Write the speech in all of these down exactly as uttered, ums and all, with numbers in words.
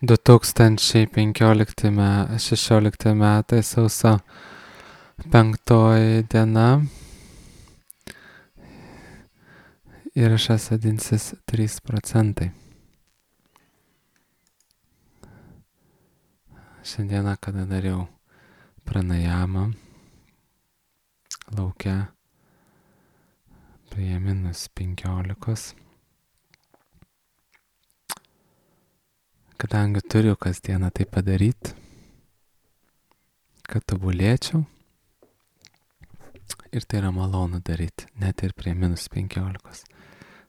du tūkstančiai penkiolikti me- šešiolikti metai sausio penktoji diena. Įrašas vadinsis trys procentai. Šiandieną, kada dariau pranajamą laukia prie minus penkiolikos. Kadangi turiu kasdieną tai padaryti, kad tobulėčiau. Ir tai yra malonu daryti, net ir prie minus penkiolikos.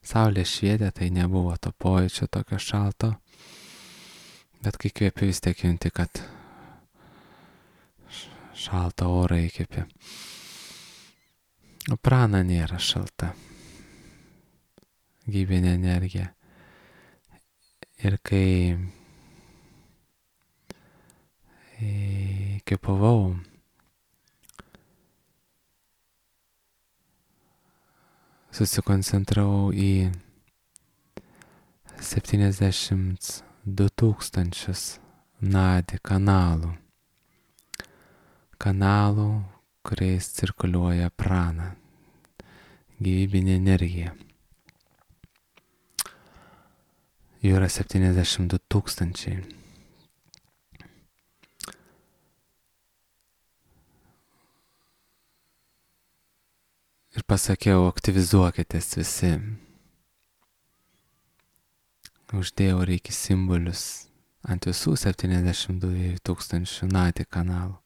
Saulė švietė, tai nebuvo to pojūčio tokio šalto. Bet kai kvėpi, vis tiek junti, kad šaltą orą įkvėpi. O prana nėra šalta. Gyvybinė energija. Ir kai įkvėpavau, susikoncentravau į septyniasdešimt du tūkstančius nadi kanalų. Kanalų, kuriais cirkuliuoja prana, gyvybinė energija. Jų yra septyniasdešimt du tūkstančiai. Ir pasakiau, aktyvizuokitės visi. Uždėjau reikia simbolius ant visų septyniasdešimt du tūkstančių nadi kanalų.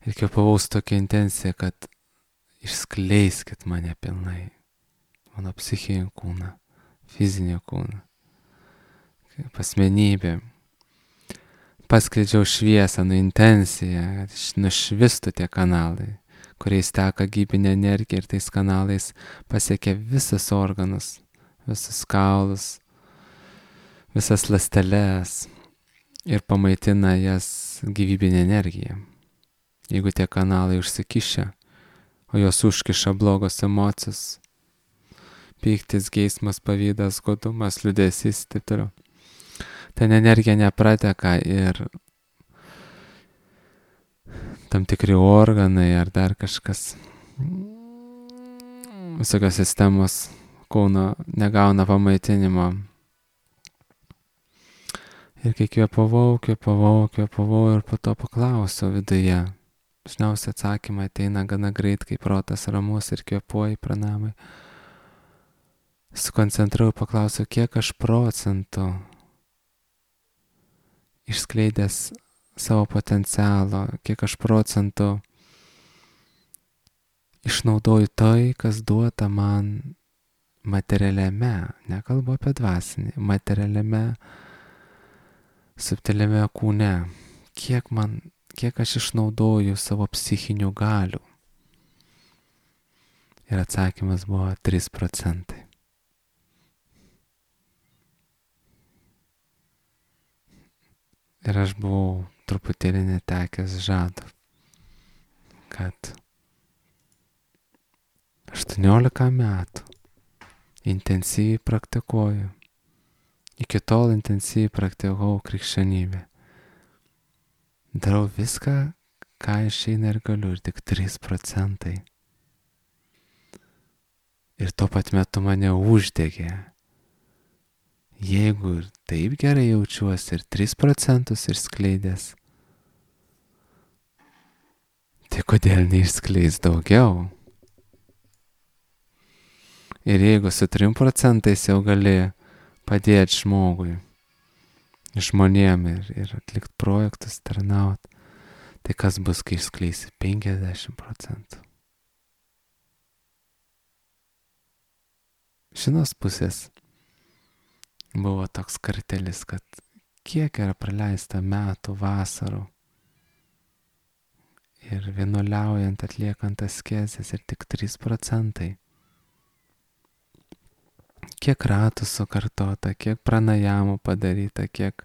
Ir kvėpavau su tokia intencija, kad išskleiskit mane pilnai. Mano psichinį kūną, fizinį kūną, kaip asmenybė. Paskleidžiau šviesą, nu intenciją, kad nušvistų tie kanalai, kuriais teka gyvybinė energija ir tais kanalais pasiekia visus organus, visus kaulus, visas ląsteles ir pamaitina jas gyvybinė energija. Jeigu tie kanalai užsikišę, o jos užkiša blogos emocijos, pyktis, geismas, pavydas, godumas, liūdesys, taip toliau. Ten energija neprateka ir tam tikri organai ar dar kažkas, visokios sistemos kūno negauna pamaitinimo. Ir kai kvėpavau, kvėpavau, kvėpavau ir po to paklausiau viduje. Dažniausiai atsakymai ateina gana greit, kai protas ramus ir kvėpuoji pranamai. Sukoncentravau, paklausiau, kiek aš procentų išskleidęs savo potencialo, kiek aš procentų išnaudoju tai, kas duota man materialiame, nekalbu apie dvasinį, materialiame, subtiliame kūne. Kiek man, kiek aš išnaudoju savo psichinių galių. Ir atsakymas buvo trys procentai. Ir aš buvau truputėlį netekęs žado, kad aštuoniolika metų intensyviai praktikuoju. Iki tol intensyviai praktikavau krikščionybę. Darau viską, ką išeina ir galiu, ir tik trys procentai. Ir tuo pat metu mane uždegė. Jeigu ir taip gerai jaučiuosi ir tris procentus išskleidęs, tai kodėl neišskleis daugiau? Ir jeigu su trim procentais jau gali padėti žmogui, žmonėm ir, ir atlikti projektus, tarnaut, tai kas bus, kai išskleisi penkiasdešimt procentų? Šinos pusės buvo toks kartelis, kad kiek yra praleista metų, vasarų ir vienuoliaujant, atliekant askezes ir tik trys procentai. Kiek ratų sukartota, kiek pranajamų padaryta, kiek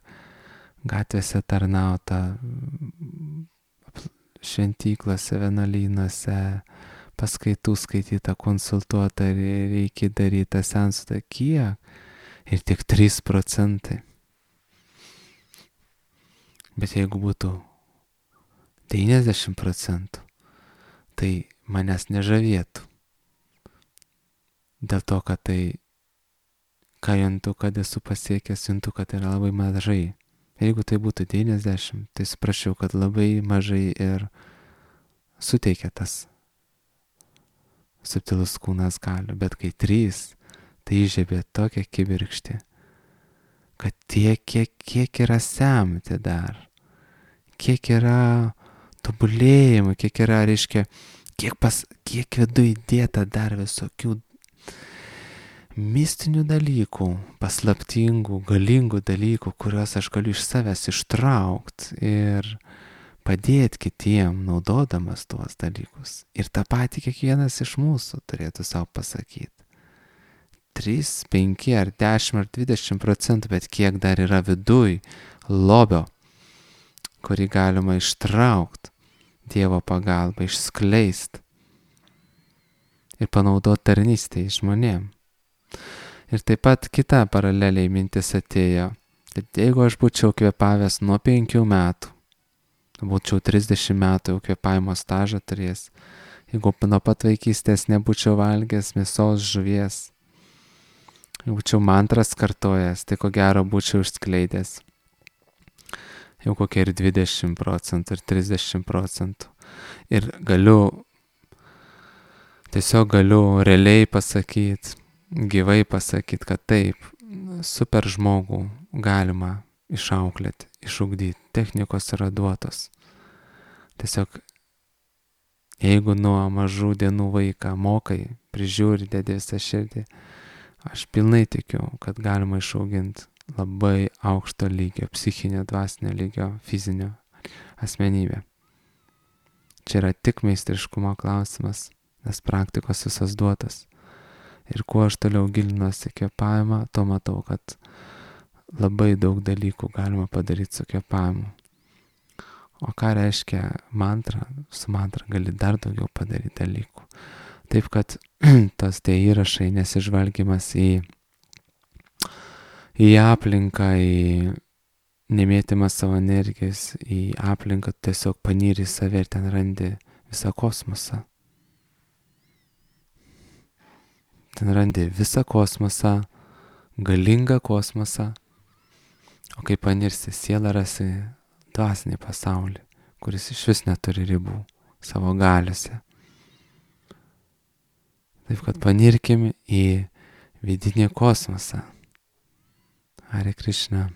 gatvėse tarnauta, šventyklose, vienuolynuose, paskaitų skaityta, konsultuota, reikia daryta, sensata, kiek. Ir tik trys procentai. Bet jeigu būtų devyniasdešimt procentų, tai manęs nežavėtų. Dėl to, kad tai, ką juntu, kad esu pasiekęs, juntu, kad yra labai mažai. Jeigu tai būtų devyniasdešimt, tai suprasčiau, kad labai mažai ir suteikia tas subtilus kūnas galių. Bet kai trys, tai įžiebė tokią kibirkštį, kad tiek, kiek, kiek yra semti dar, kiek yra tobulėjimų, kiek yra, reiškia, kiek, pas, kiek viduje įdėta dar visokių mistinių dalykų, paslaptingų, galingų dalykų, kuriuos aš galiu iš savęs ištraukti ir padėti kitiem, naudodamas tuos dalykus. Ir tą patį kiekvienas iš mūsų turėtų savo pasakyti. trys, penki ar dešimt ar dvidešimt procentų, bet kiek dar yra viduj lobio, kurį galima ištraukti Dievo pagalba, išskleisti ir panaudoti tarnystėje žmonėm. Ir taip pat kita paraleliai mintis atėjo, kad jeigu aš būčiau kvėpavęs nuo penkių metų, būčiau trisdešimt metų jau kvėpavimo stažą turėjęs, jeigu nuo pat vaikystės nebūčiau valgęs mėsos, žuvies, jeigu būčiau mantras kartojęs, tai ko gero būčiau išskleidęs jau kokie ir dvidešimt procentų, ir trisdešimt procentų. Ir galiu, tiesiog galiu realiai pasakyti, gyvai pasakyti, kad taip, super žmogų galima išauklėti, išugdyti, technikos yra duotos. Tiesiog, jeigu nuo mažų dienų vaiką mokai, prižiūri, dedi visą širdį, aš pilnai tikiu, kad galima išauginti labai aukšto lygio, psichinio, dvasinio lygio, fizinio asmenybę. Čia yra tik meistriškumo klausimas, nes praktikos visas duotas. Ir kuo aš toliau gilinuosi kvėpavimą, to matau, kad labai daug dalykų galima padaryti su kvėpavimu. O ką reiškia mantra? Su mantra gali dar daugiau padaryti dalykų. Taip, kad tos tie įrašai, nesižvalgymas į, į aplinką, į nemėtimą savo energijos, į aplinką, tiesiog panyri į save ir ten randi visą kosmosą. Ten randi visą kosmosą, galingą kosmosą, o kai panirsi sielą, rasi dvasinį pasaulį, kuris iš vis neturi ribų savo galiuose. Taip kad panirkim į vidinį kosmosą. Hare Krishna.